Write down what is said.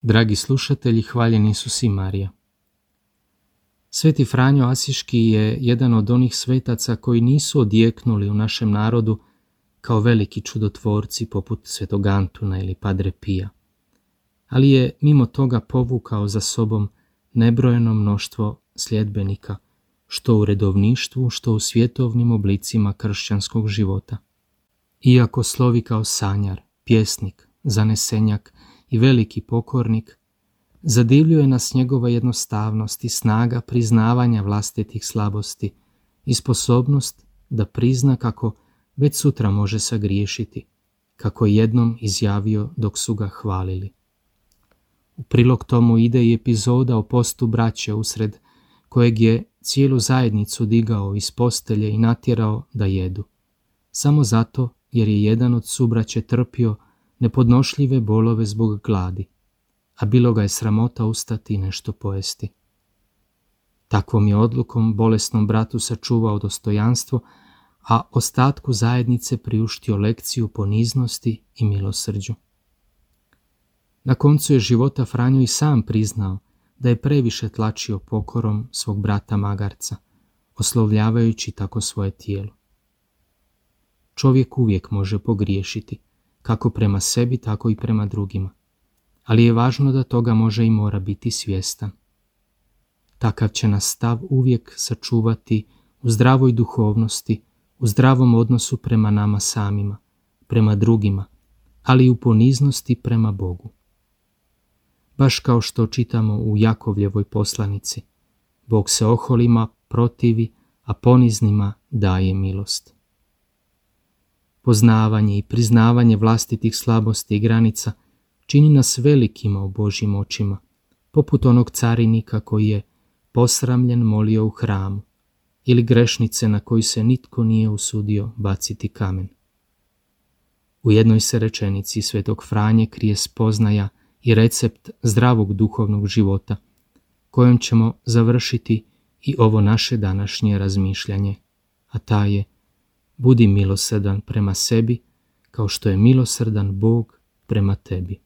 Dragi slušatelji, hvaljen Isus i Marija. Sveti Franjo Asiški je jedan od onih svetaca koji nisu odjeknuli u našem narodu kao veliki čudotvorci poput Svetog Antuna ili Padre Pija, ali je mimo toga povukao za sobom nebrojeno mnoštvo sljedbenika, što u redovništvu, što u svjetovnim oblicima kršćanskog života. Iako slovi kao sanjar, pjesnik, zanesenjak i veliki pokornik, zadivljuje nas njegova jednostavnost i snaga priznavanja vlastitih slabosti i sposobnost da prizna kako već sutra može sagriješiti, kako je jednom izjavio dok su ga hvalili. U prilog tomu ide i epizoda o postu braće usred kojeg je cijelu zajednicu digao iz postelje i natjerao da jedu, samo zato jer je jedan od subraće trpio nepodnošljive bolove zbog gladi, a bilo ga je sramota ustati i nešto pojesti. Takvom je odlukom bolesnom bratu sačuvao dostojanstvo, a ostatku zajednice priuštio lekciju poniznosti i milosrđu. Na koncu je života Franjo i sam priznao da je previše tlačio pokorom svog brata magarca, oslovljavajući tako svoje tijelo. Čovjek uvijek može pogriješiti, kako prema sebi, tako i prema drugima, ali je važno da toga može i mora biti svjestan. Takav će nas stav uvijek sačuvati u zdravoj duhovnosti, u zdravom odnosu prema nama samima, prema drugima, ali i u poniznosti prema Bogu. Baš kao što čitamo u Jakovljevoj poslanici, Bog se oholima protivi, a poniznima daje milost. Poznavanje i priznavanje vlastitih slabosti i granica čini nas velikima u Božjim očima, poput onog carinika koji je posramljen molio u hramu, ili grešnice na koju se nitko nije usudio baciti kamen. U jednoj se rečenici Svetog Franje krije spoznaja i recept zdravog duhovnog života, kojom ćemo završiti i ovo naše današnje razmišljanje, a ta je: budi milosrdan prema sebi, kao što je milosrdan Bog prema tebi.